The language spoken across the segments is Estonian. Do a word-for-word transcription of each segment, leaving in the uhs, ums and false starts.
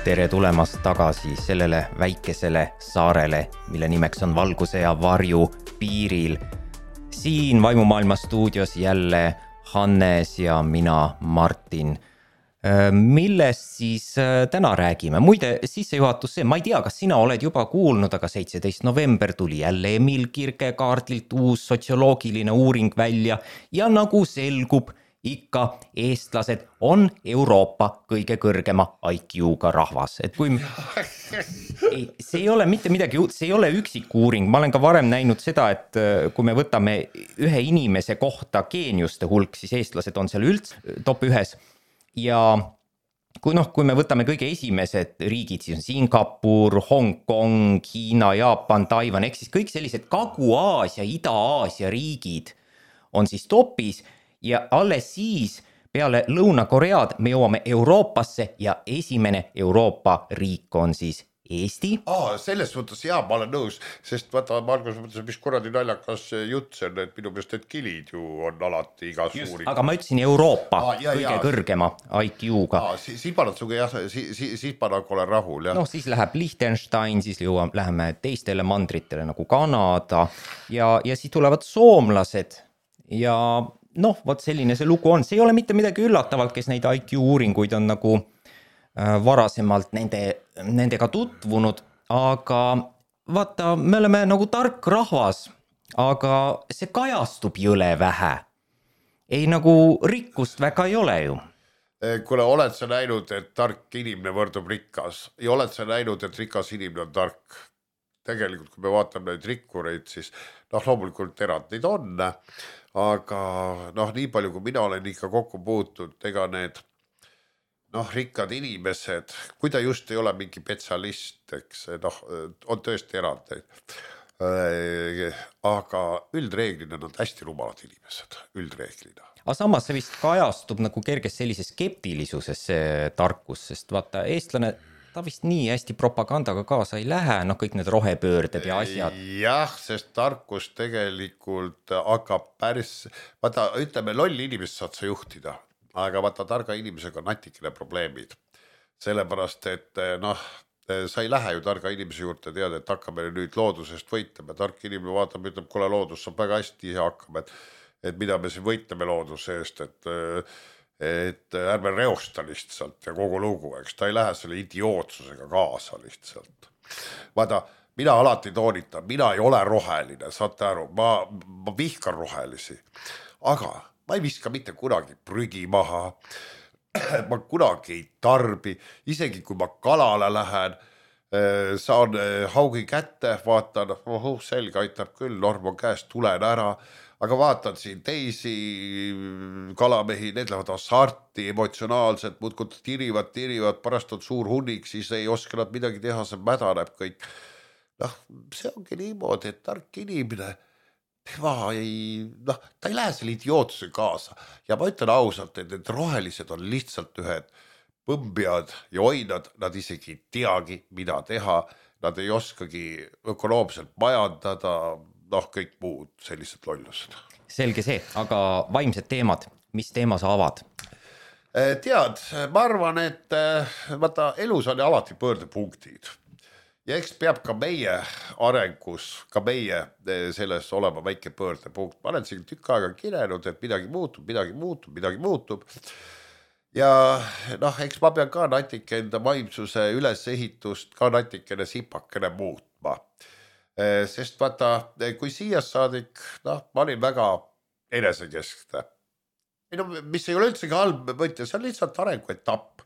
Tere tulemast tagasi sellele väikesele saarele, mille nimeks on Valguse ja Varju piiril. Siin Vaimumaailma stuudios jälle Hannes ja mina, Martin. Millest siis täna räägime? Muide, sissejuhatus see, ma ei tea, kas sina oled juba kuulnud, aga seitseteist november tuli jälle Emil Kierkegaardilt uus sotsioloogiline uuring välja ja nagu selgub, ikka eestlased on Euroopa kõige kõrgema I Q-ga rahvas. Et kui... ei, see ei ole mitte midagi, see ei ole üksik uuring. Ma olen ka varem näinud seda, et kui me võtame ühe inimese kohta geeniuste hulk, siis eestlased on seal üldse top ühes. Ja kui, noh, kui me võtame kõige esimesed riigid, siis on Singapur, Hong Kong, Hiina, Jaapan, Taiwan, ehk siis kõik sellised Kagu-Aasia, Ida-Aasia riigid on siis topis. Ja alles siis peale Lõuna-Koread me jõuame Euroopasse ja esimene Euroopa riik on siis Eesti. Aa, selles mõttes jaa, ma olen nõus, sest vaata, ma alguses mõtlesin, mis kuradi naljakas jutt see on, et minu meelest need kilid ju on alati iga Just, suuri. aga ma ütlesin Euroopa Aa, jaa, kõige jaa. kõrgema I Q-ga. Aa, siis si, panad suga jah, siis si, si, panad olen rahul. Jah. Noh, siis läheb Liechtenstein, siis jõuame, läheme teistele mandritele nagu Kanada ja, ja siis tulevad soomlased ja... noh, vot selline see lugu on. See ei ole mitte midagi üllatavalt, kes neid I Q uuringuid on nagu äh, varasemalt nende, nendega tutvunud, aga vaata, me oleme nagu tark rahvas, aga see kajastub jõle vähe. Ei nagu rikkust väga ei ole ju. Kuule, oled sa näinud, et tark inimene võrdub rikas ja oled sa näinud, et rikas inimene on tark? Tegelikult, kui me vaatame neid rikkureid, siis noh, loomulikult erandid on, aga noh, nii palju, kui mina olen ikka kokku puutud, ega need noh, rikkad inimesed, kui ta just ei ole mingi spetsialist, eks noh, on tõesti erandeid. Aga üldreeglina on hästi rumalad inimesed, üldreeglina. Aga samas see vist kajastub nagu kerges sellise skeptilisuses see tarkus, sest vaata, eestlane... ta vist nii hästi propagandaga kaasa ei lähe, noh kõik need rohepöörded ja asjad. Jah, sest tarkus tegelikult hakkab päris, vaata, ütleme, lolli inimest saad sa juhtida, aga vaata, targa inimesega on natikene probleemid. Sellepärast, et noh, sa ei lähe ju targa inimese juurde teada, et hakkame nüüd loodusest võitlema. Tark inimene vaatab, ütleb, kuule loodus saab väga hästi ja hakkame, et, et mida me siin võitleme looduse eest, et et ärme reosta lihtsalt ja kogu lugu, eks ta ei lähe selle idiootsusega kaasa lihtsalt. Vaata, mina alati toonitan, mina ei ole roheline, saate aru, ma, ma vihkan rohelisi, aga ma ei viska mitte kunagi prügi maha, ma kunagi ei tarbi, isegi kui ma kalale lähen, saan haugi kätte, vaatan, oh, selge aitab küll, norm on käest, tulen ära, aga vaatan siin teisi kalamehi, need lähevad asarti, emotsionaalselt, muudkud tirivad, tirivad, pärast on suur hunnik, siis ei oska nad midagi teha, see mädaneb kõik. Noh, see ongi niimoodi, et tark inimene, tema ei, noh, ta ei lähe selle idiootsuse kaasa. Ja ma ütlen ausalt, et need rohelised on lihtsalt ühed põmbjad ja oinad, nad isegi ei teagi, mida teha, nad ei oskagi ökonoomselt majandada, noh, kõik muud sellised lollused. Selge see, aga vaimsed teemad, mis teema sa avad? Tead, ma arvan, et vaata, elus on alati pöördepunktid. Ja eks peab ka meie arengus, ka meie selles olema väike pöördepunkt. Ma olen siin tükk aega kirenud, et midagi muutub, midagi muutub, midagi muutub. Ja noh, eks ma pean ka natike enda vaimsuse ülesehitust ka natikene sipakene muutma. Sest vaata, kui siia saadik, noh, ma olin väga enesekeskne. Mis ei ole üldsegi halb mõte, see on lihtsalt arenguetapp.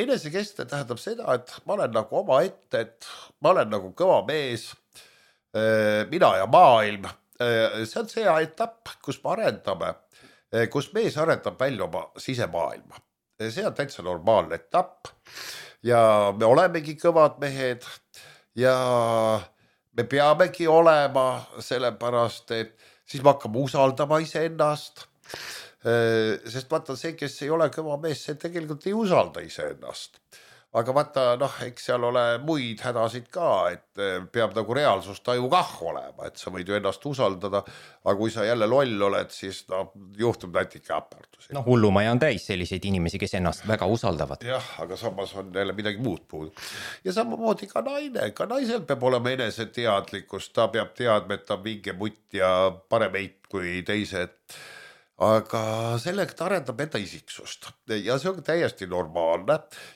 Enesekeskne tähendab seda, et ma olen nagu oma ette, et ma olen nagu kõva mees, mina ja maailm. See on see etapp, kus me arendame, kus mees arendab välja oma sisemaailma. See on täitsa normaalne etapp ja me olemegi kõvad mehed, ja me peamegi olema sellepärast, et siis me hakkame usaldama iseennast, sest vaata see, kes ei ole kõva mees, see tegelikult ei usalda iseennast. aga vaata, noh, eks seal ole muid hädasid ka, et peab nagu reaalsustaju kah olema, et sa võid ju ennast usaldada, aga kui sa jälle loll oled, siis no, juhtub natuke äpardusi. No hullumaja on täis selliseid inimesi, kes ennast väga usaldavad. Jah, aga samas on jälle midagi muud puudu. Ja samamoodi ka naine, ka naisel peab olema enese teadlikkus, ta peab teadma, et ta on vinge mutt ja parem eit kui teised. Aga sellega ta arendab enda isiksust ja see on täiesti normaalne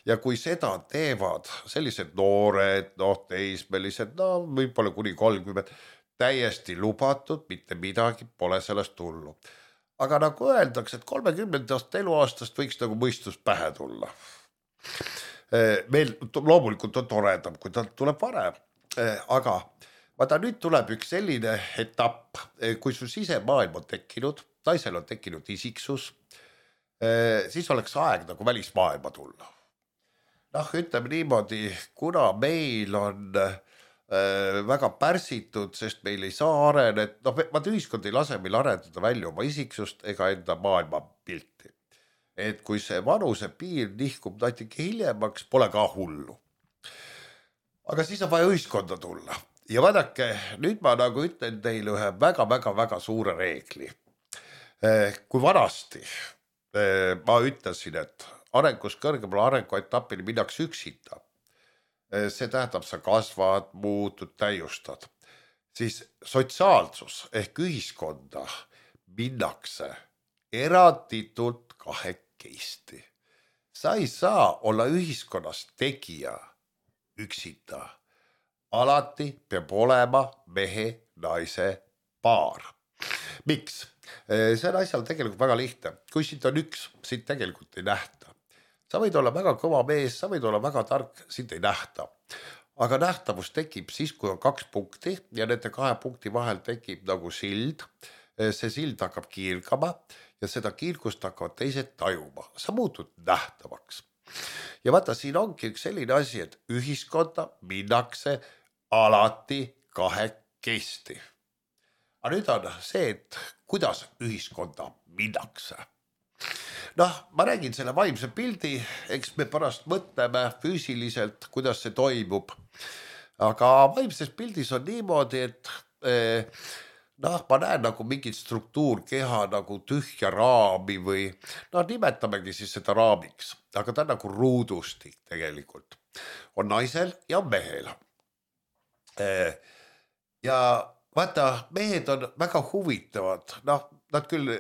ja kui seda teevad sellised noored, noh, teismelised, no võib-olla kuni kolmkümmend, täiesti lubatud, mitte midagi pole sellest tullu. Aga nagu öeldakse, et kolmekümnendast eluaastast võiks nagu mõistus pähe tulla. Meil loomulikult on toredam, kui ta tuleb varem, aga vaata nüüd tuleb üks selline etapp, kui su sisemaailm on tekkinud, naisel on tekkinud isiksus, siis oleks aeg nagu välismaailma tulla. Noh, ütleme niimoodi, kuna meil on väga pärsitud, sest meil ei saa arenet, noh, vaata ühiskond ei lase meil arendada välja oma isiksust ega enda maailma pilti. Et kui see vanuse piir nihkub natuke hiljemaks, pole ka hullu. Aga siis on vaja ühiskonda tulla. Ja vaadake, nüüd ma nagu ütlen teile ühe väga-väga-väga suure reegli. Kui vanasti ma ütlesin, et arengus kõrgemale arenguetapini minnakse üksita, see tähendab, sa kasvad, muutud, täiustad, siis sotsiaalsus ehk ühiskonda minnakse eranditult kahekesti. Sa ei saa olla ühiskonnas tegija üksita. Alati peab olema mehe, naise paar. Miks? See on asjal tegelikult väga lihtne. Kui siit on üks, siit tegelikult ei nähta. Sa võid olla väga kõva mees, sa võid olla väga tark, siit ei nähta. Aga nähtavus tekib siis, kui on kaks punkti ja nende kahe punkti vahel tekib nagu sild. See sild hakkab kiirgama ja seda kiirgust hakkavad teised tajuma. Sa muutud nähtavaks. Ja vaata, siin ongi üks selline asi, et ühiskonda minnakse alati kahekesti. Aga nüüd on see, et kuidas ühiskonda minnakse. Noh, ma räägin selle vaimse pildi, eks me pärast mõtleme füüsiliselt, kuidas see toimub. Aga vaimses pildis on niimoodi, et eh, noh, ma näen nagu mingit struktuurkeha nagu tühja raami või noh, nimetamegi siis seda raamiks. Aga ta on nagu ruudustik tegelikult. On naisel ja mehel. Eh, ja vaata, mehed on väga huvitavad, noh, nad küll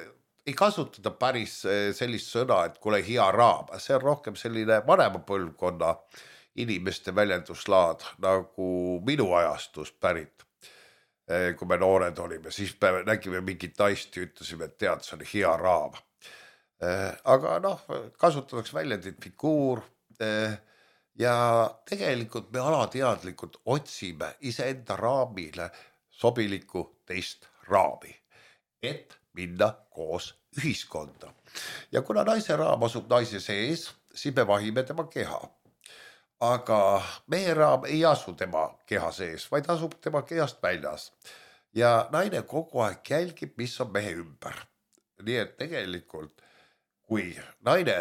ei kasutada päris sellist sõna, et kuule hea raam, see on rohkem selline vanema põlvkonna inimeste väljenduslaad, nagu minu ajastus pärit. Kui me noored olime, siis me nägime mingit naist ja ütlesime, et tead, see on hea raam. Aga noh, kasutatakse väljendit figuur ja tegelikult me alateadlikult otsime iseenda raamile sobiliku teist raami, et minna koos ühiskonda. Ja kuna naise raam asub naise sees, siis me vahime tema keha. Aga mehe raam ei asu tema keha sees, vaid asub tema kehast väljas. Ja naine kogu aeg jälgib, mis on mehe ümber. Nii et tegelikult, kui naine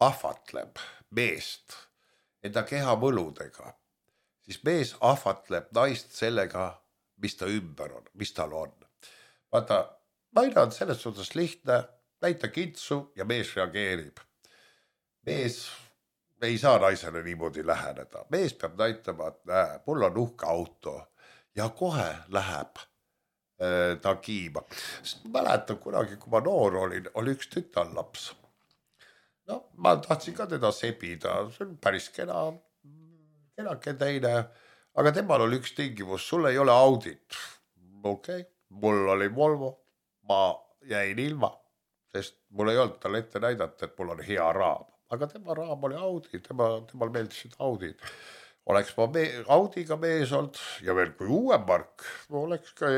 ahvatleb meest enda keha võludega, siis mees ahvatleb naist sellega, mis ta ümber on, mis tal on. Vaata, naine on selles suhtes lihtne, näita kitsu ja mees reageerib. Mees ei saa naisele niimoodi läheneda. Mees peab näitama, et näe, mul on uhke auto ja kohe läheb äh, ta kiima. Sest mäletan kunagi, kui ma noor olin, oli üks tütarlaps. No, ma tahtsin ka teda sebida, see on päris kena, kenake teine. Aga temal oli üks tingimus, sul ei ole audit. Okei, okay. Mul oli Volvo, ma jäin ilma, sest mul ei olnud tal ette näidata, et mul on hea raam. Aga tema raam oli Audi, tema, temal meeldisid Audid. Oleks ma me, Audiga mees olnud ja veel kui uue mark, oleks ka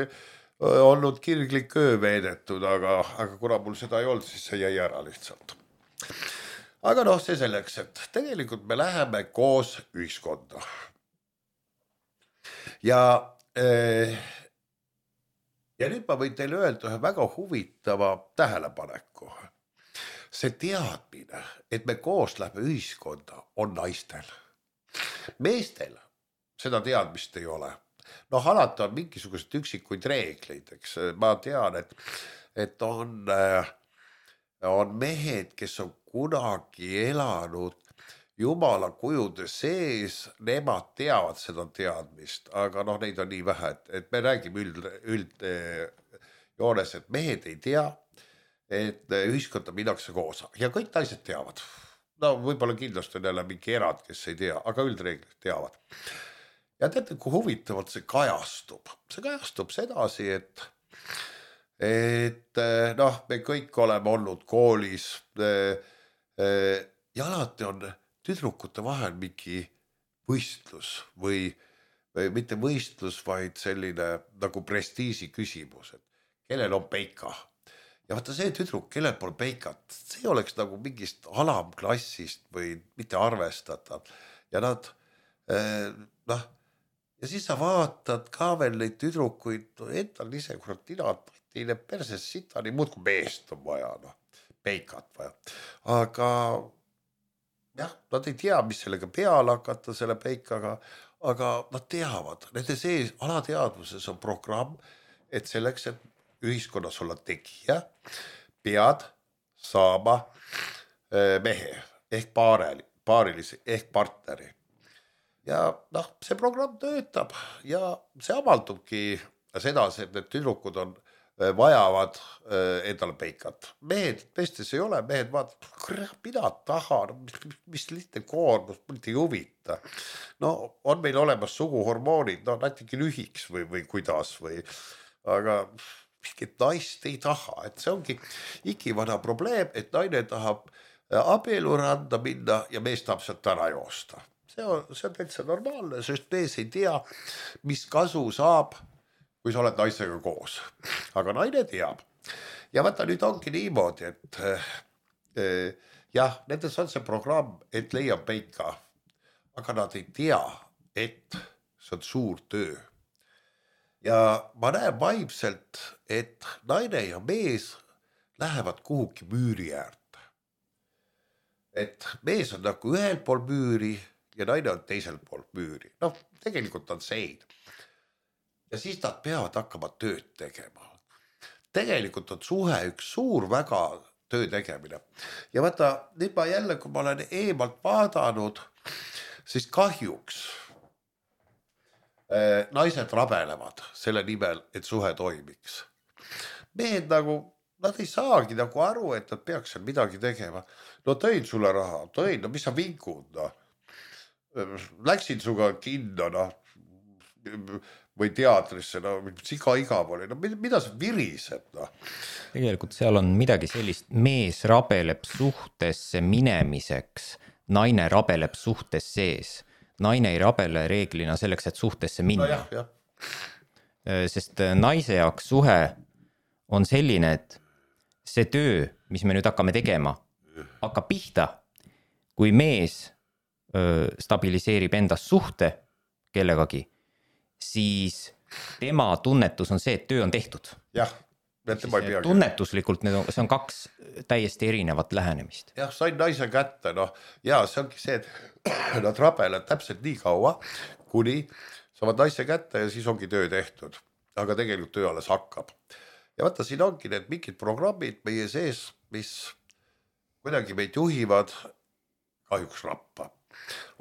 olnud kirglik öö veedetud, aga, aga kuna mul seda ei olnud, siis see jäi ära lihtsalt. Aga noh, see selleks, et tegelikult me läheme koos ühiskonda. Ja, ja nüüd ma võin teile öelda ühe väga huvitava tähelepaneku. See teadmine, et me koos lähme ühiskonda, on naistel. meestel seda teadmist ei ole. Noh, alati on mingisugused üksikuid reegleid, eks ma tean, et, et on, on mehed, kes on kunagi elanud jumala kujude sees, nemad teavad seda teadmist, aga noh, neid on nii vähe, et, et me räägime üld, üld joones, et mehed ei tea, et ühiskonda minnakse koos ja kõik naised teavad. No võib-olla kindlasti on jälle mingi erand, kes ei tea, aga üldreeglid teavad. Ja teate, kui huvitavalt see kajastub. See kajastub sedasi, et, et noh, me kõik oleme olnud koolis ja alati on tüdrukute vahel mingi võistlus või, või mitte võistlus, vaid selline nagu prestiisi küsimus, et kellel on peika. Ja vaata see tüdruk, kellel pole peikat, see oleks nagu mingist alamklassist või mitte arvestatav. Ja nad, noh, ja siis sa vaatad ka veel neid tüdrukuid, endal ise kurat tinad, teile perses sita, nii muud kui meest on vaja, noh, peikat vaja. Aga jah, nad ei tea, mis sellega peale hakata selle peikaga, aga nad teavad, nende sees alateadvuses on programm, et selleks, et ühiskonnas olla tegija, pead saama mehe ehk paareli, paarilisi ehk partneri. Ja noh, see programm töötab ja see avaldubki sedasi, et need tüdrukud on vajavad endale peikat. Mehed, meestes ei ole, mehed vaatavad, kurat, mida taha, mis, mis lihtne koormus, mitte ei huvita. No on meil olemas suguhormoonid, no natuke lühiks või, või kuidas või, aga mingit naist ei taha, et see ongi ikivana probleem, et naine tahab abieluranda minna ja mees tahab sealt ära joosta. See on, see on täitsa normaalne, sest mees ei tea, mis kasu saab, kui sa oled naisega koos. Aga naine teab. Ja vaata, nüüd ongi niimoodi, et eh, jah, nendes on see programm, et leiab peika, aga nad ei tea, et see on suur töö. Ja ma näen vaimselt, et naine ja mees lähevad kuhugi müüri äärde. Et mees on nagu ühel pool müüri ja naine on teisel pool müüri. Noh, tegelikult on sein. Ja siis nad peavad hakkama tööd tegema. Tegelikult on suhe üks suur väga töö tegemine. Ja vaata, nüüd ma jälle, kui ma olen eemalt vaadanud, siis kahjuks naised rabelevad selle nimel, et suhe toimiks. Mehed nagu, nad ei saagi nagu aru, et nad peaks seal midagi tegema. No tõin sulle raha, tõin, no mis sa vinkud, no. Läksin suga kinno, no, või teatrisse, no, siga igav oli, no mida sa virised, no. Tegelikult seal on midagi sellist, mees rabeleb suhtesse minemiseks, naine rabeleb suhtes sees. Naine ei rabele reeglina selleks, et suhtesse minna. No jah, jah. Sest naise jaoks suhe on selline, et see töö, mis me nüüd hakkame tegema, hakkab pihta, kui mees öö, stabiliseerib endas suhte kellegagi, siis tema tunnetus on see, et töö on tehtud. Jah. Tunnetuslikult need on, see on kaks täiesti erinevat lähenemist. Jah, sain naise kätte, noh, ja see ongi see, et nad rabelevad täpselt nii kaua, kuni saavad naise kätte ja siis ongi töö tehtud. Aga tegelikult töö alles hakkab. Ja vaata, siin ongi need mingid programmid meie sees, mis kuidagi meid juhivad kahjuks rappa.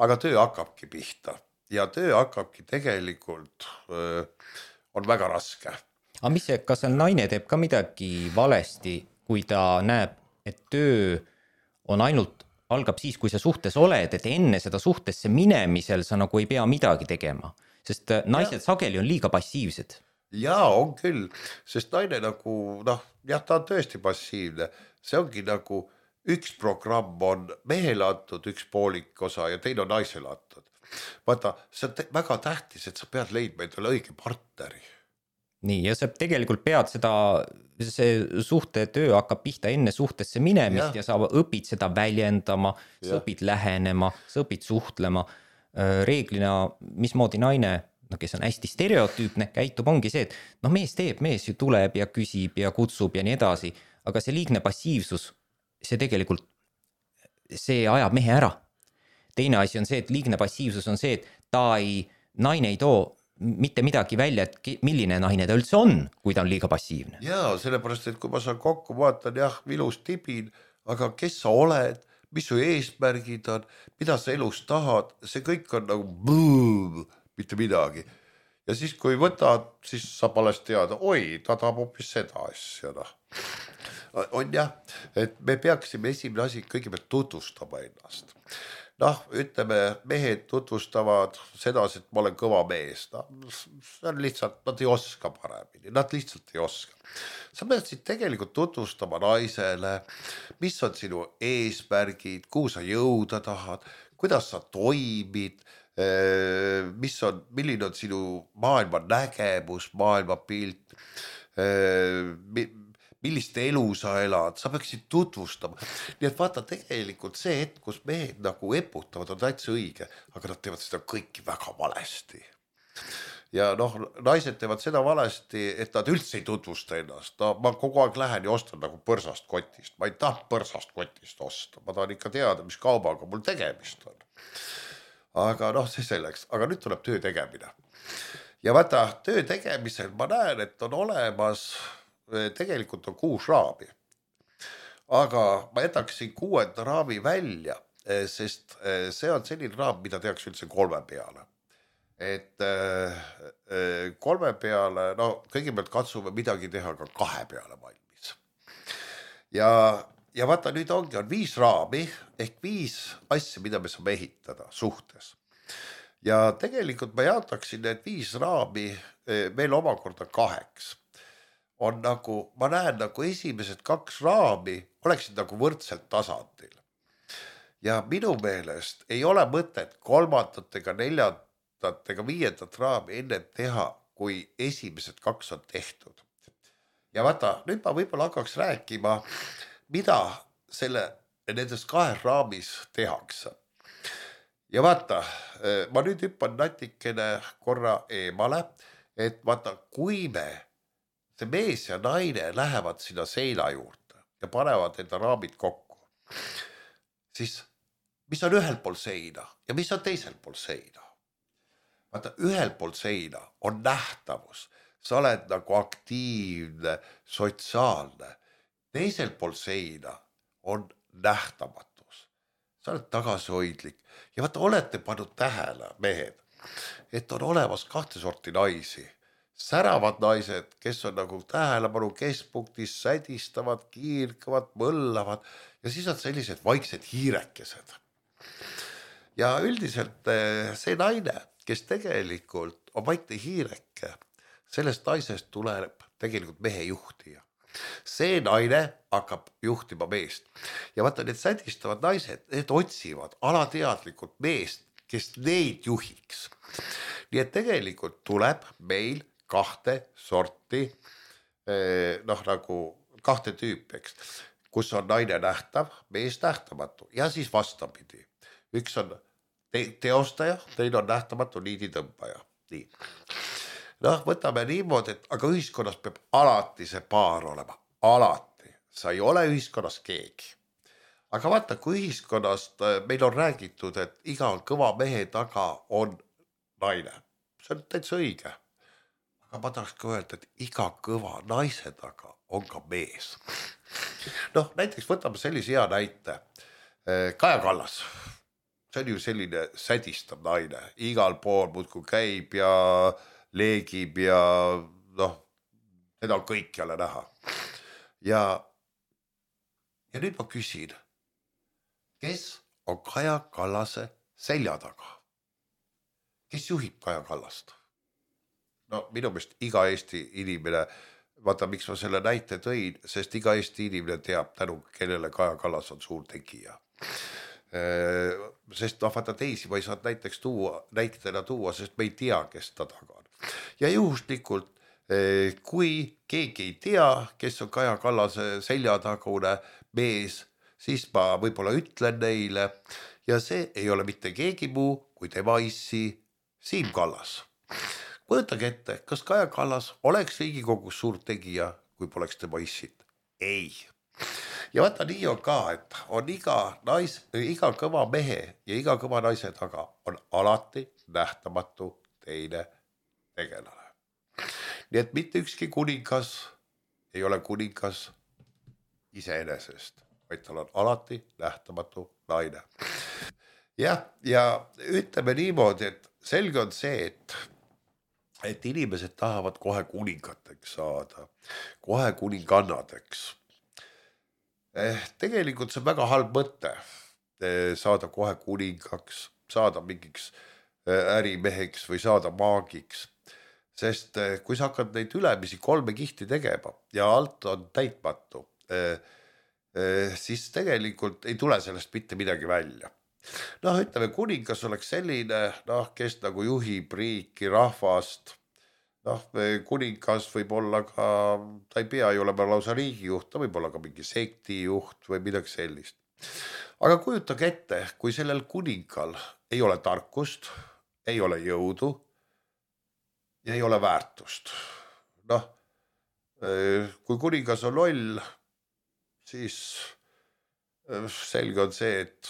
Aga töö hakkabki pihta ja töö hakkabki tegelikult öö, on väga raske. Aga mis see, kas naine teeb ka midagi valesti, kui ta näeb, et töö on ainult, algab siis, kui sa suhtes oled, et enne seda suhtesse minemisel sa nagu ei pea midagi tegema, sest naised ja. Sageli on liiga passiivsed. Jaa, on küll, sest naine nagu, noh, jah, ta on tõesti passiivne, see ongi nagu üks programm on mehele antud, üks poolik osa ja teine on naisele antud. Vaata, see on väga tähtis, et sa pead leidma endale õige partneri. Nii, ja sa tegelikult pead seda, see suhte töö hakkab pihta enne suhtesse minemist ja, ja sa õpid seda väljendama, sa õpid lähenema, sa õpid suhtlema. Reeglina, mismoodi naine, no, kes on hästi stereotüüpne, käitub, ongi see, et no, mees teeb, mees ju tuleb ja küsib ja kutsub ja nii edasi, aga see liigne passiivsus, see tegelikult, see ajab mehe ära. teine asi on see, et liigne passiivsus on see, et ta ei, naine ei too mitte midagi välja, et milline naine ta üldse on, kui ta on liiga passiivne. Jaa, sellepärast, et kui ma saan kokku, vaatan, jah, ilus tibin, aga kes sa oled, mis su eesmärgid on, mida sa elus tahad, see kõik on nagu bõõm, mitte midagi. Ja siis, kui võtad, siis saab alles teada, oi, ta tahab hoopis seda asja. No. On jah, et me peaksime esimene asi kõigepealt tutvustama ennast. Noh, ütleme, mehed tutvustavad seda, et ma olen kõva mees. No, see on lihtsalt, nad ei oska paremini, nad lihtsalt ei oska. Sa peaksid tegelikult tutvustama naisele, mis on sinu eesmärgid, kuhu sa jõuda tahad, kuidas sa toimid, mis on, milline on sinu maailma nägemus, maailma pilt, millist elu sa elad, sa peaksid tutvustama. Nii et vaata tegelikult see hetk, kus mehed nagu eputavad, on täitsa õige, aga nad teevad seda kõiki väga valesti. Ja noh, naised teevad seda valesti, et nad üldse ei tutvusta ennast. No, ma kogu aeg lähen ja ostan nagu põrsast kotist. Ma ei taha põrsast kotist osta. Ma tahan ikka teada, mis kaubaga mul tegemist on. Aga noh, see selleks. Aga nüüd tuleb töö tegemine. Ja vaata, töö tegemisel ma näen, et on olemas, tegelikult on kuus raami. Aga ma jätaksin kuuenda raami välja, sest see on selline raam, mida tehakse üldse kolme peale. Et kolme peale, no kõigepealt katsume midagi teha ka kahe peale valmis. Ja, ja vaata, nüüd ongi, on viis raami, ehk viis asja, mida me saame ehitada suhtes. Ja tegelikult ma jaotaksin need viis raami veel omakorda kaheks. On nagu, ma näen nagu esimesed kaks raami oleksid nagu võrdselt tasandil. Ja minu meelest ei ole mõtet kolmandat ega neljandat ega viiendat raami enne teha, kui esimesed kaks on tehtud. Ja vaata, nüüd ma võib-olla hakkaks rääkima, mida selle, nendes kahes raamis tehakse. Ja vaata, ma nüüd hüppan natikene korra eemale, et vaata, kui me see mees ja naine lähevad sinna seina juurde ja panevad enda raamid kokku, siis mis on ühel pool seina ja mis on teisel pool seina? Vaata, ühel pool seina on nähtavus, sa oled nagu aktiivne, sotsiaalne. Teisel pool seina on nähtamatus, sa oled tagasihoidlik. Ja vaata, olete pannud tähele, mehed, et on olemas kahte sorti naisi. Säravad naised, kes on nagu tähelepanu keskpunktis, sädistavad, kiirkavad, mõllavad ja siis on sellised vaiksed hiirekesed. Ja üldiselt see naine, kes tegelikult on vaikne hiireke, sellest naisest tuleb tegelikult mehe juhtija. See naine hakkab juhtima meest. Ja vaata, need sädistavad naised, need otsivad alateadlikult meest, kes neid juhiks. Nii et tegelikult tuleb meil kahte sorti, noh nagu kahte tüüpeks, kus on naine nähtav, mees nähtamatu ja siis vastapidi. Üks on te- teostaja, teine on nähtamatu niiditõmbaja. Nii. Noh, võtame niimoodi, et aga ühiskonnas peab alati see paar olema. Alati. Sa ei ole ühiskonnas keegi. Aga vaata, kui ühiskonnast meil on räägitud, et iga kõva mehe taga on naine. See on täitsa õige. Aga ma tahaks ka öelda, et iga kõva naise taga on ka mees. Noh, näiteks võtame sellise hea näite. Kaja Kallas. See on ju selline sädistav naine. Igal pool muudkui käib ja leegib ja noh, seda on kõik jälle näha. Ja, ja nüüd ma küsin, kes on Kaja Kallase selja taga? Kes juhib Kaja Kallast? No minu meelest iga Eesti inimene, vaata miks ma selle näite tõin, sest iga Eesti inimene teab tänu, kellele Kaja Kallas on suur tegija. Sest noh, vaata teisi ma ei saa näiteks tuua, näitena tuua, sest me ei tea, kes ta taga on. Ja juhuslikult, kui keegi ei tea, kes on Kaja Kallase seljatagune mees, siis ma võib-olla ütlen neile ja see ei ole mitte keegi muu kui tema issi Siim Kallas. Võetage ette, kas Kaja Kallas oleks Riigikogus suur tegija, kui poleks tema issit? Ei. ja vaata nii on ka, et on iga nais, iga kõva mehe ja iga kõva naise taga on alati nähtamatu teine tegelane. Nii et mitte ükski kuningas ei ole kuningas iseenesest, vaid tal on alati nähtamatu naine. Jah, ja ütleme niimoodi, et selge on see, et et inimesed tahavad kohe kuningateks saada, kohe kuningannadeks. Eh, tegelikult see on väga halb mõte saada kohe kuningaks, saada mingiks ärimeheks või saada maagiks. Sest kui sa hakkad neid ülemisi kolme kihti tegema ja alt on täitmatu, eh, eh, siis tegelikult ei tule sellest mitte midagi välja. Noh, ütleme, kuningas oleks selline, noh, kes nagu juhib riiki, rahvast. Noh, kuningas võib olla ka, ta ei pea ju olema lausa riigijuht, ta võib olla ka mingi sektijuht või midagi sellist. Aga kujutage ette, kui sellel kuningal ei ole tarkust, ei ole jõudu ja ei ole väärtust. Noh, kui kuningas on loll, siis selge on see, et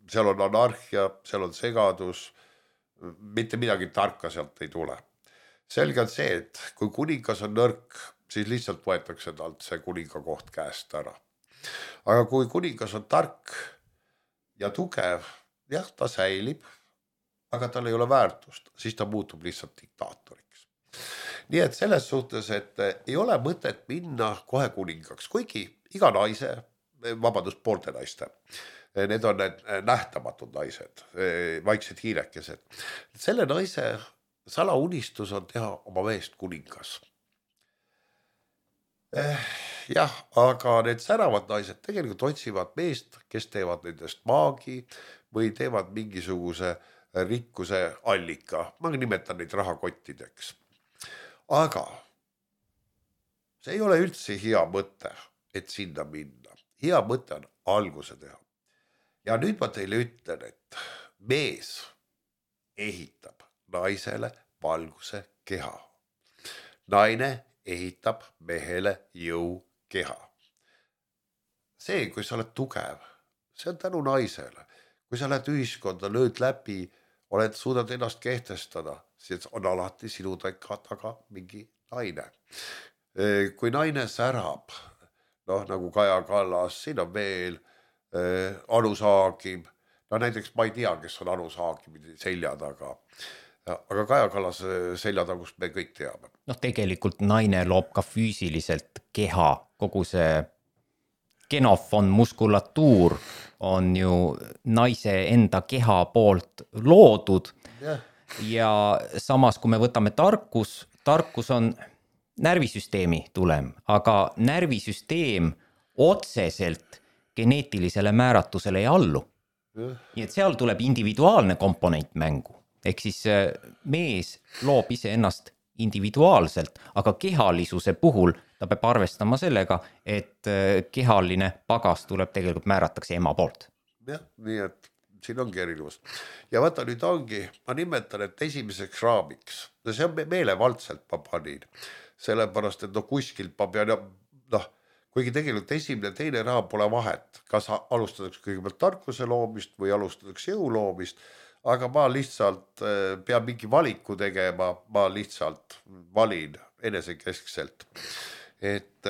seal on anarhia, seal on segadus, mitte midagi tarka sealt ei tule. Selge on see, et kui kuningas on nõrk, siis lihtsalt võetakse talt see kuninga koht käest ära. Aga kui kuningas on tark ja tugev, jah, ta säilib, aga tal ei ole väärtust, siis ta muutub lihtsalt diktaatoriks. Nii et selles suhtes, et ei ole mõtet minna kohe kuningaks, kuigi iga naise, vabandust, poolte naiste. Need on need nähtamatud naised, vaiksed hiirekesed. Selle naise salaunistus on teha oma meest kuningas. Eh, jah, aga need säravad naised tegelikult otsivad meest, kes teevad nendest maagi või teevad mingisuguse rikkuse allika. Ma nimetan neid rahakottideks. Aga see ei ole üldse hea mõte, et sinna minna. Hea mõte on alguse teha. Ja nüüd ma teile ütlen, et mees ehitab naisele valguse keha. Naine ehitab mehele jõu keha. See, kui sa oled tugev, see on tänu naisele. Kui sa lähed ühiskonda, lööd läbi, oled suudad ennast kehtestada, siis on alati sinu taga mingi naine. Kui naine särab, noh, nagu Kaja Kallas, siin on veel äh, Anu Saagim. No näiteks ma ei tea, kes on Anu Saagim selja taga. Aga Kaja Kallas selja tagust me kõik teame. Noh, tegelikult naine loob ka füüsiliselt keha. Kogu see genofon muskulatuur on ju naise enda keha poolt loodud. Yeah. Ja samas, kui me võtame tarkus, tarkus on närvisüsteemi tulem, aga närvisüsteem otseselt geneetilisele määratusele ei allu. Yeah. Nii et seal tuleb individuaalne komponent mängu. Ehk siis mees loob ise ennast individuaalselt, aga kehalisuse puhul ta peab arvestama sellega, et kehaline pagas tuleb tegelikult määratakse ema poolt. Jah, nii et siin ongi erinevus. Ja vaata nüüd ongi, ma nimetan, et esimeseks raamiks, see on meelevaldselt ma panin, sellepärast, et no kuskilt ma pean, noh, kuigi tegelikult esimene teine raam pole vahet, kas alustatakse kõigepealt tarkuse loomist või alustatakse jõu loomist, aga ma lihtsalt pean mingi valiku tegema, ma lihtsalt valin enesekeskselt. Et,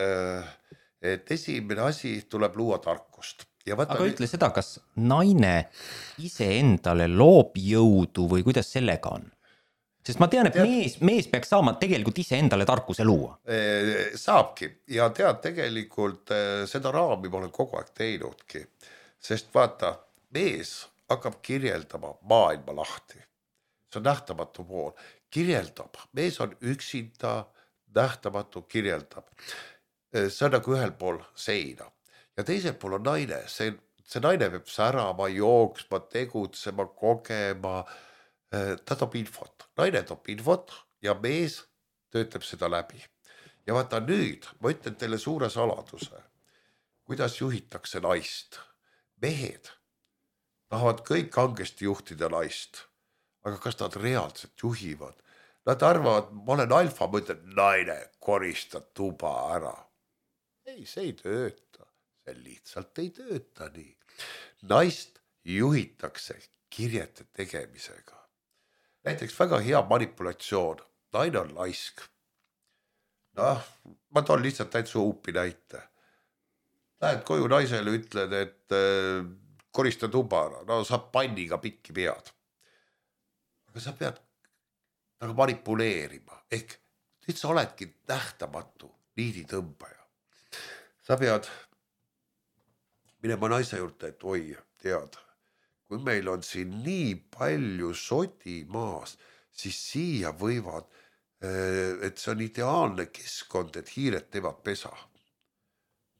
et esimene asi tuleb luua tarkust. Ja aga nii... ütle seda, kas naine ise endale loob jõudu või kuidas sellega on? Sest ma tean, et tead, mees, mees peaks saama tegelikult ise endale tarkuse luua. Saabki ja tead tegelikult seda raami ma olen kogu aeg teinudki, sest vaata, mees hakkab kirjeldama maailma lahti. See on nähtamatu pool. Kirjeldab. Mees on üksinda nähtamatu kirjeldab. See on nagu ühel pool seina. Ja teisel pool on naine. See, see naine peab särama, jooksma, tegutsema, kogema. Ta toob infot. Naine toob infot ja mees töötab seda läbi. Ja vaata nüüd, ma ütlen teile suure saladuse, kuidas juhitakse naist. Mehed tahavad kõik kangesti juhtida naist, aga kas nad reaalselt juhivad? Nad arvavad, ma olen alfa, ma ütlen, naine, korista tuba ära. Ei, see ei tööta. see lihtsalt ei tööta nii. Naist juhitakse kirjete tegemisega. Näiteks väga hea manipulatsioon. Naine on laisk. Noh, ma toon lihtsalt täitsa uupi näite. Lähed koju naisele, ütled, et äh, korista tubara. No saab panniga pikki pead. Aga sa pead nagu manipuleerima. Ehk nüüd sa oledki nähtamatu niiditõmbaja. Sa pead minema naise juurde, et oi, tead, kui meil on siin nii palju sodi maas, siis siia võivad, et see on ideaalne keskkond, et hiired teevad pesa.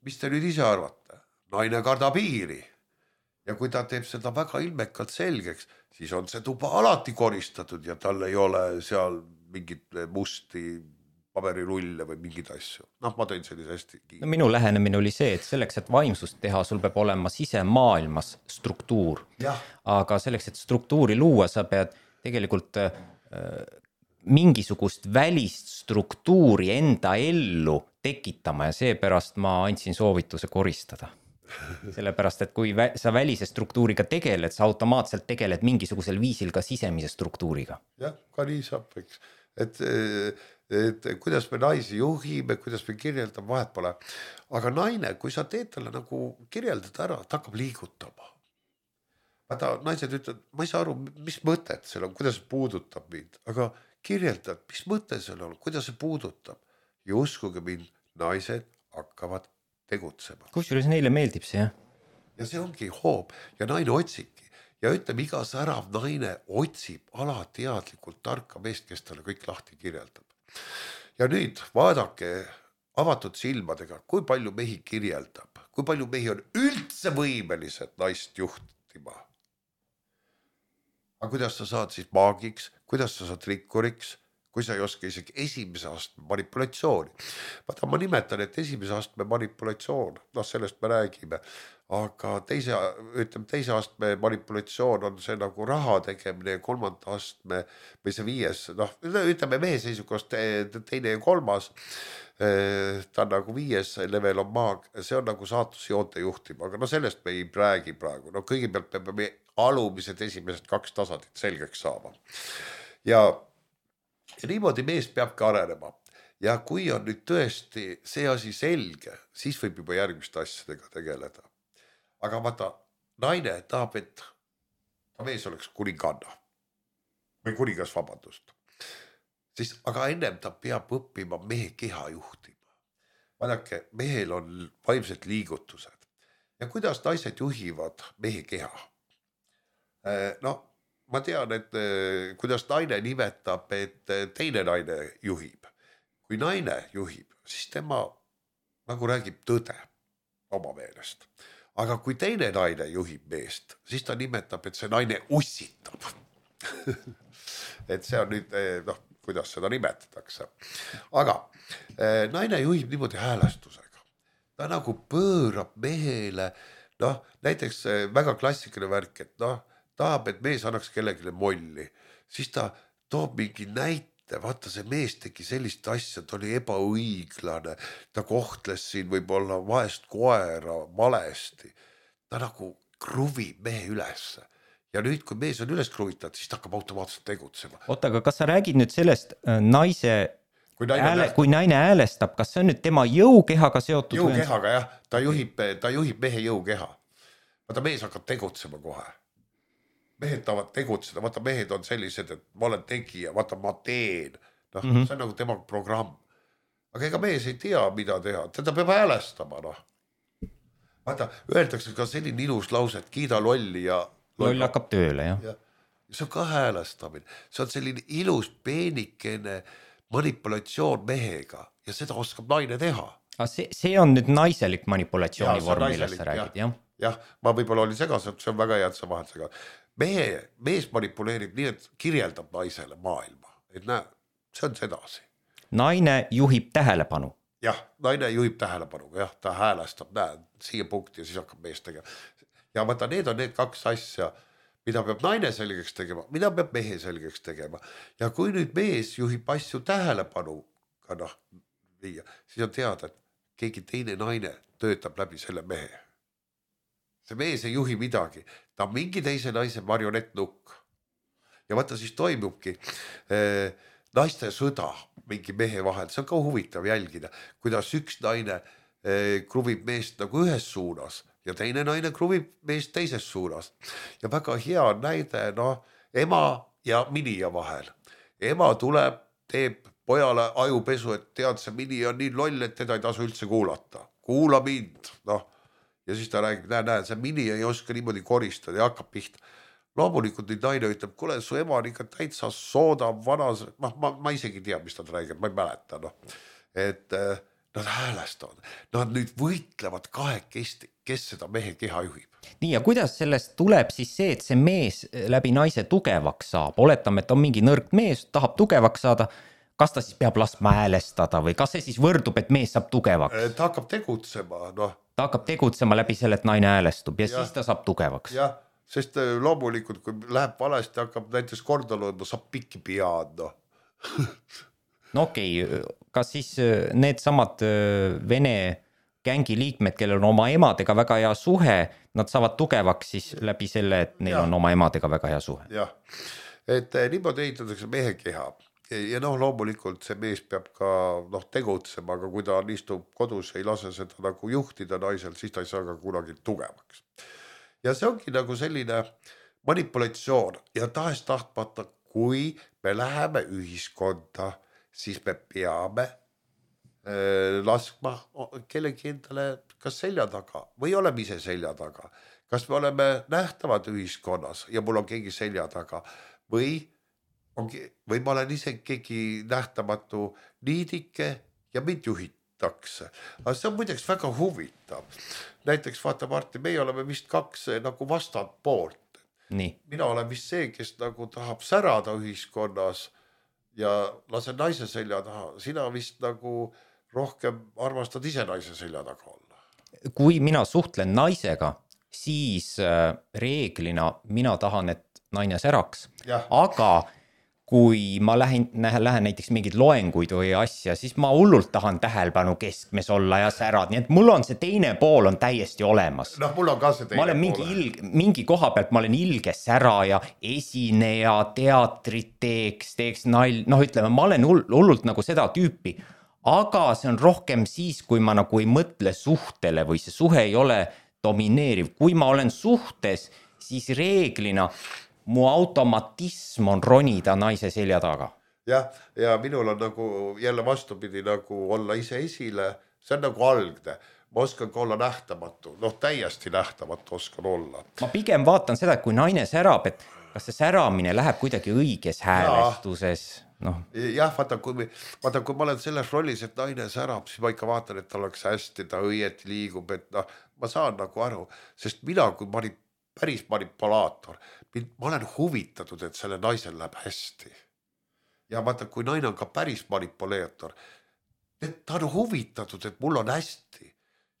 Mis te nüüd ise arvate? Naine kardab hiiri. Ja kui ta teeb seda väga ilmekalt selgeks, siis on see tuba alati koristatud ja tal ei ole seal mingit musti paberirulle või mingid asju. Noh, ma tõin sellise hästi kiin. No, minu lähenemine oli see, et selleks, et vaimsust teha, sul peab olema sisemaailmas struktuur. Ja. Aga selleks, et struktuuri luua, sa pead tegelikult äh, mingisugust välist struktuuri enda ellu tekitama ja seepärast ma andsin soovituse koristada. Sellepärast, et kui vä- sa välise struktuuriga tegeled, sa automaatselt tegeled mingisugusel viisil ka sisemise struktuuriga. Jah, ka nii saab, eks. Et, et kuidas me naisi juhime, kuidas me kirjeldame, vahet pole. Aga naine, kui sa teed talle nagu kirjeldad ära, ta hakkab liigutama. Vaata, naised ütlevad, ma ei saa aru, mis mõtet seal on, kuidas see puudutab mind. Aga kirjeldad, mis mõte seal on, kuidas see puudutab. Ja uskuge mind, naised hakkavad tegutsema. Kusjuures neile meeldib see, jah? Ja see ongi hoob ja naine otsibki. Ja ütleme, iga särav naine otsib alateadlikult tarka meest, kes talle kõik lahti kirjeldab. Ja nüüd vaadake avatud silmadega, kui palju mehi kirjeldab, kui palju mehi on üldse võimelised naist juhtima. Aga kuidas sa saad siis maagiks, kuidas sa saad rikkuriks, kui sa ei oska isegi esimese astme manipulatsiooni. Vaata, ma nimetan, et esimese astme manipulatsioon, noh, sellest me räägime, aga teise, ütleme, teise astme manipulatsioon on see nagu raha tegemine ja kolmanda astme või see viies, noh, ütleme mehe seisukohast teine ja kolmas, ta on nagu viies level on maag, see on nagu saatusjoonte juhtima, aga no sellest me ei räägi praegu, no kõigepealt me peame alumised esimesed kaks tasandit selgeks saama. Ja Ja niimoodi mees peabki arenema. Ja kui on nüüd tõesti see asi selge, siis võib juba järgmiste asjadega tegeleda. Aga vaata, naine tahab, et ta mees oleks kuninganna. Või kuningas, vabandust. Siis, aga ennem ta peab õppima mehe keha juhtima. Vaadake, mehel on vaimsed liigutused. Ja kuidas naised juhivad mehe keha? No, ma tean, et kuidas naine nimetab, et teine naine juhib. Kui naine juhib, siis tema nagu räägib tõde oma meelest. Aga kui teine naine juhib meest, siis ta nimetab, et see naine ussitab. Et see on nüüd, noh, kuidas seda nimetatakse. Aga naine juhib niimoodi häälestusega. Ta nagu pöörab mehele, noh, näiteks väga klassikaline värk, et noh, tahab, et mees annaks kellegile molli, siis ta toob mingi näite, vaata see mees tegi sellist asja, ta oli ebaõiglane, ta kohtles siin võib-olla vaest koera valesti, ta nagu kruvib mehe ülesse. Ja nüüd, kui mees on üles kruvitud, siis ta hakkab automaatselt tegutsema. Oota, aga kas sa räägid nüüd sellest naise, kui naine, ääle, kui naine häälestab, kas see on nüüd tema jõukehaga seotud? Jõukehaga, jah, ta juhib, ta juhib mehe jõukeha. Vaata, mees hakkab tegutsema kohe. Mehed tahavad tegutseda, vaata mehed on sellised, et ma olen tegija, vaata ma teen, noh, mm -hmm. see on nagu tema programm. Aga ega mees ei tea, mida teha, teda peab häälestama, noh. Vaata, öeldakse ka selline ilus lause, et kiida lolli ja... Loll hakkab tööle, jah. Ja, ja see on ka häälestamine, see on selline ilus peenikene manipulatsioon mehega ja seda oskab naine teha. Aga see, see on nüüd naiselik manipulatsiooni ja, vorm, millest sa räägid, jah? Jah, ma võib-olla olin segaselt, see on väga hea, et sa vahel segad. Mehe, mees manipuleerib nii, et kirjeldab naisele maailma. Et näe, see on sedasi. Naine juhib tähelepanu. Jah, naine juhib tähelepanu. Jah, ta häälestab, näe, siia punkti ja siis hakkab mees tegema. Ja vaata, need on need kaks asja, mida peab naine selgeks tegema, mida peab mehe selgeks tegema. Ja kui nüüd mees juhib asju tähelepanu, noh, viia, siis on teada, et keegi teine naine töötab läbi selle mehe. See mees ei juhi midagi, ta on mingi teise naise marionettnukk. Ja vaata siis toimubki eh, naiste sõda mingi mehe vahel, see on ka huvitav jälgida, kuidas üks naine eh, kruvib meest nagu ühes suunas ja teine naine kruvib meest teises suunas. Ja väga hea näide, noh, ema ja minija vahel. Ema tuleb, teeb pojale ajupesu, et tead, see minija on nii loll, et teda ei tasu üldse kuulata. Kuula mind, noh. Ja siis ta räägib, näe, näe, see minija ei oska niimoodi koristada ja hakkab pihta. Loomulikult nüüd naine ütleb, kuule, su ema on ikka täitsa sooda vanas, ma, ma, ma isegi tea, mis ta räägib, ma ei mäleta, noh. Et äh, nad häälestavad, nad nüüd võitlevad kahekesti, kes seda mehe keha juhib. Nii, ja kuidas sellest tuleb siis see, et see mees läbi naise tugevaks saab? Oletame, et on mingi nõrk mees, tahab tugevaks saada, kas ta siis peab laskma häälestada või kas see siis võrdub, et mees saab tugevaks? Ta hakkab tegutsema, noh. Ta hakkab tegutsema läbi selle, et naine häälestub ja, ja siis ta saab tugevaks. Jah, sest loomulikult, kui läheb valesti, hakkab näiteks korda loema, saab pikki pead, noh. No okei, okay. Kas siis need samad Vene gängi liikmed, kellel on oma emadega väga hea suhe, nad saavad tugevaks siis läbi selle, et neil ja. On oma emadega väga hea suhe? Jah, et niimoodi ehitatakse mehe keha. Ja noh, loomulikult see mees peab ka noh, tegutsema, aga kui ta istub kodus, ei lase seda nagu juhtida naisel, siis ta ei saa ka kunagi tugevaks. Ja see ongi nagu selline manipulatsioon ja tahes tahtmata, kui me läheme ühiskonda, siis me peame äh, laskma kellegi endale kas selja taga või oleme ise selja taga. Kas me oleme nähtavad ühiskonnas ja mul on keegi selja taga või Ongi, või ma olen ise keegi nähtamatu niidike ja mind juhitakse. Aga see on muideks väga huvitav. Näiteks vaata Martin, meie oleme vist kaks nagu vastad poolt. Nii. Mina olen vist see, kes nagu tahab särada ühiskonnas ja lasen naise selja taha. Sina vist nagu rohkem armastad ise naise selja taga olla. Kui mina suhtlen naisega, siis reeglina mina tahan, et naine säraks. Ja. Aga kui ma lähen, lähen näiteks mingid loenguid või asja, siis ma hullult tahan tähelepanu keskmes olla ja särad, nii et mul on see teine pool on täiesti olemas. Noh, mul on ka see teine ma olen mingi, ilg, mingi koha pealt, ma olen ilge säraja, esineja, teatrit teeks, teeks nal, noh ütleme, ma olen hullult nagu seda tüüpi, aga see on rohkem siis, kui ma nagu ei mõtle suhtele või see suhe ei ole domineeriv. Kui ma olen suhtes, siis reeglina mu automatism on ronida naise selja taga. Jah, ja minul on nagu jälle vastupidi nagu olla ise esile, see on nagu algne. Ma oskan ka olla nähtamatu, noh täiesti nähtamatu oskan olla. Ma pigem vaatan seda, et kui naine särab, et kas see säramine läheb kuidagi õiges häälestuses. No. Jah, vaata kui, vaata, kui ma olen selles rollis, et naine särab, siis ma ikka vaatan, et ta oleks hästi, ta õieti liigub, et noh, ma saan nagu aru, sest mina kui manip, päris manipulaator, ma olen huvitatud, et selle naisel läheb hästi. Ja vaata, kui naine on ka päris manipuleetor, ta on huvitatud, et mul on hästi.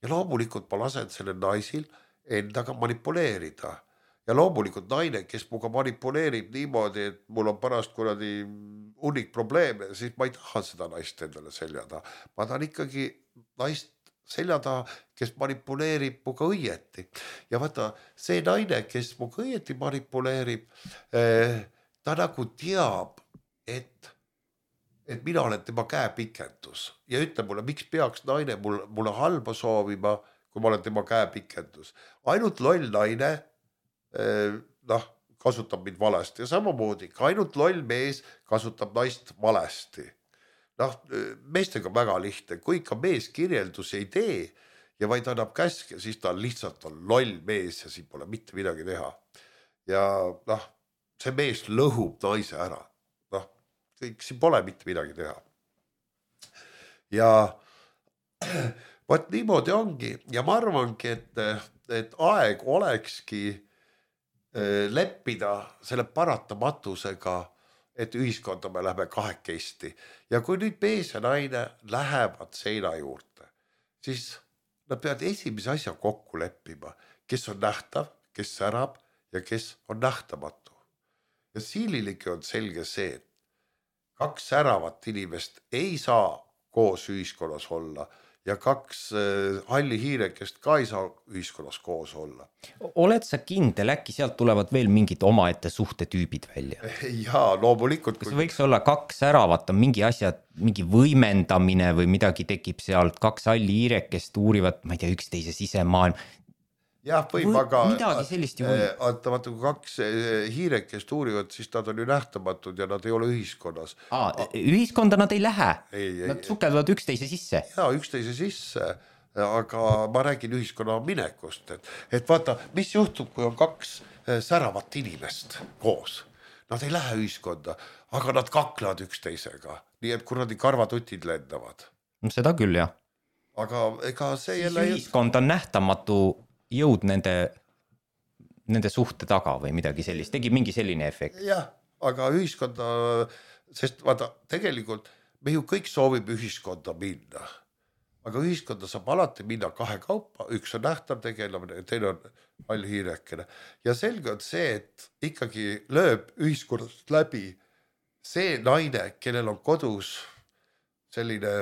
Ja loomulikult ma lasen selle naisil endaga manipuleerida. Ja loomulikult naine, kes muga manipuleerib niimoodi, et mul on pärast kuradi unik probleeme, siis ma ei taha seda naist endale seljada. Ma tahan ikkagi naist selja taha, kes manipuleerib muga õieti. Ja vaata, see naine, kes muga õieti manipuleerib, ta nagu teab, et, et mina olen tema käepikendus. Ja ütle mulle, miks peaks naine mulle, mulle halba soovima, kui ma olen tema käepikendus. Ainult loll naine noh, kasutab mind valesti ja samamoodi, ka ainult loll mees kasutab naist valesti. Noh, meestega väga lihtne, kui ikka mees kirjeldus ei tee ja vaid annab käske, siis ta lihtsalt on loll mees ja siin pole mitte midagi teha. Ja noh, see mees lõhub naise ära. Noh, siin pole mitte midagi teha. Ja vaat niimoodi ongi ja ma arvangi, et, et aeg olekski leppida selle paratamatusega, et ühiskonda me läheme kahekesti. Ja kui nüüd mees ja naine lähevad seina juurde, siis nad peavad esimese asja kokku leppima, kes on nähtav, kes särab ja kes on nähtamatu. Ja siililigi on selge see, et kaks säravat inimest ei saa koos ühiskonnas olla ja kaks halli hiirekest ka ei saa ühiskonnas koos olla. Oled sa kindel, äkki sealt tulevad veel mingid omaette suhtetüübid välja? Jaa, loomulikult. Kas võiks olla kaks äravat, on mingi asja, mingi võimendamine või midagi tekib sealt, kaks halli hiirekest uurivad, ma ei tea, üksteise sisemaailm. Jah, võib, või, aga midagi sellist ju võib. Vaata, vaata, kui kaks hiirekest uurivad, siis nad on ju nähtamatud ja nad ei ole ühiskonnas. Aa, ühiskonda nad ei lähe, ei, ei, nad sukelduvad üksteise sisse. Jaa, üksteise sisse, aga ma räägin ühiskonna minekust, et, et vaata, mis juhtub, kui on kaks säravat inimest koos. Nad ei lähe ühiskonda, aga nad kaklevad üksteisega, nii et kuradi karvatutid lendavad. Seda küll, jah. Aga ega see siis jälle... ühiskond on nähtamatu jõud nende, nende suhte taga või midagi sellist, tegi mingi selline efekt. Jah, aga ühiskonda, sest vaata, tegelikult me ju kõik soovib ühiskonda minna, aga ühiskonda saab alati minna kahe kaupa, üks on nähtav tegelamine ja teine on hall hiirekene. Ja selge on see, et ikkagi lööb ühiskonnast läbi see naine, kellel on kodus selline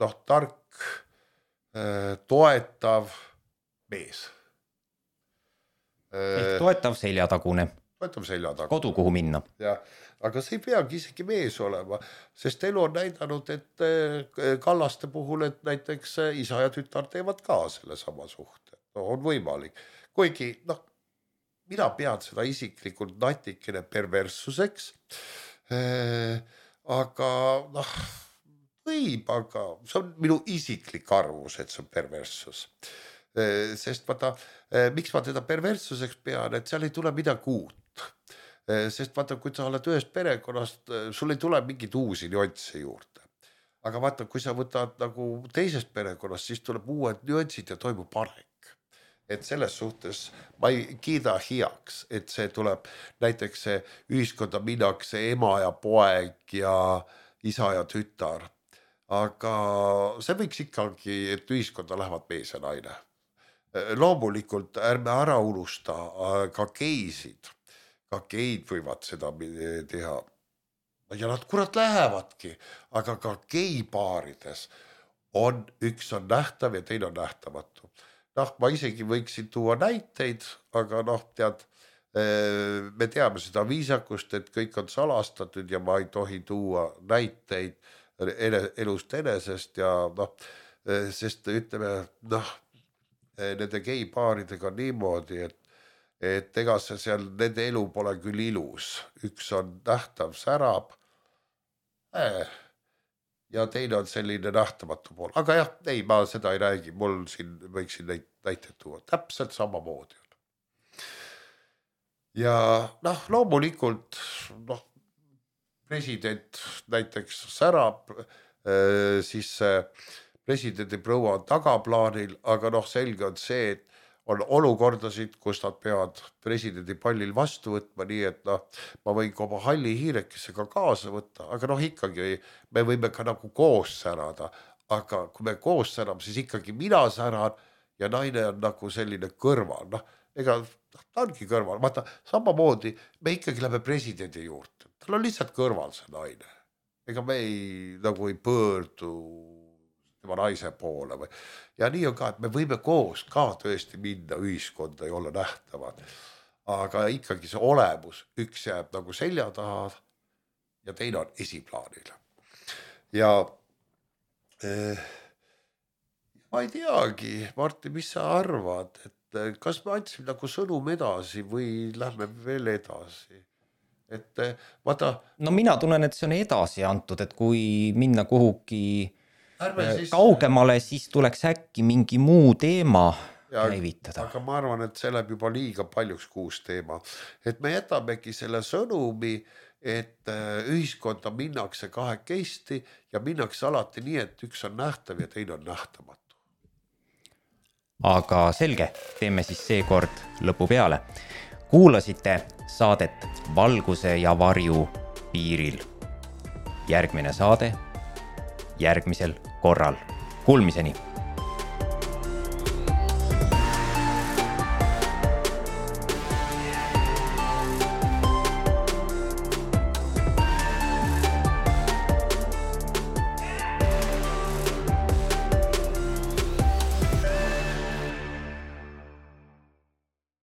noh, tark, toetav mees. Ehk toetav seljatagune. Toetav seljatagune. Kodu, kuhu minna. Ja, aga see ei peagi isegi mees olema, sest elu on näidanud, et Kallaste puhul, et näiteks isa ja tütar teevad ka selle sama suhte. No, on võimalik. Kuigi, noh, mina pean seda isiklikult natikene perverssuseks, aga noh, võib, aga see on minu isiklik arvus, et see on perverssus. Sest vaata, miks ma teda perverssuseks pean, et seal ei tule midagi uut. Sest vaata, kui sa oled ühest perekonnast, sul ei tule mingid uusi nüansse juurde. Aga vaata, kui sa võtad nagu teisest perekonnast, siis tuleb uued nüansid ja toimub areng. Et selles suhtes ma ei kiida heaks, et see tuleb näiteks see ühiskonda minnakse ema ja poeg ja isa ja tütar. Aga see võiks ikkagi, et ühiskonda lähevad mees ja naine. Loomulikult ärme ära unusta ka geisid. Ka geid võivad seda teha. Ja nad kurat lähevadki, aga ka geipaarides on üks on nähtav ja teine on nähtamatu. Noh, ma isegi võiksin tuua näiteid, aga noh, tead, me teame seda viisakust, et kõik on salastatud ja ma ei tohi tuua näiteid elust enesest ja noh, sest ütleme, noh, nende geipaaridega niimoodi, et, et ega see seal, nende elu pole küll ilus. Üks on nähtav särab äh, ja teine on selline nähtamatu pool. Aga jah, ei, ma seda ei räägi, mul siin võiksin neid näiteid tuua. Täpselt samamoodi on. Ja noh, loomulikult noh, president näiteks särab, äh, siis äh, presidendi proua on tagaplaanil, aga noh, selge on see, et on olukordasid, kus nad peavad presidendi pallil vastu võtma, nii et noh, ma võin ka oma halli hiirekesega kaasa võtta, aga noh, ikkagi me võime ka nagu koos särada, aga kui me koos särame, siis ikkagi mina säran ja naine on nagu selline kõrval, noh, ega ta ongi kõrval, vaata, samamoodi me ikkagi lähme presidendi juurde, tal on lihtsalt kõrval see naine, ega me ei, nagu ei pöördu tema naise poole või. Ja nii on ka, et me võime koos ka tõesti minna ühiskonda ja olla nähtavad. Aga ikkagi see olemus, üks jääb nagu selja taha ja teine on esiplaanil. Ja eh, ma ei teagi, Martti, mis sa arvad, et kas me andsime nagu sõnum edasi või lähme veel edasi? Et vaata... No mina tunnen, et see on edasi antud, et kui minna kuhugi Siis... kaugemale, siis tuleks äkki mingi muu teema ja, käivitada. Aga ma arvan, et see läheb juba liiga paljuks kuus teema. Et me jätamegi selle sõnumi, et ühiskonda minnakse kahekesti ja minnakse alati nii, et üks on nähtav ja teine on nähtamatu. Aga selge, teeme siis seekord lõpu peale. Kuulasite saadet Valguse ja varju piiril. Järgmine saade järgmisel korral. Kuulmiseni!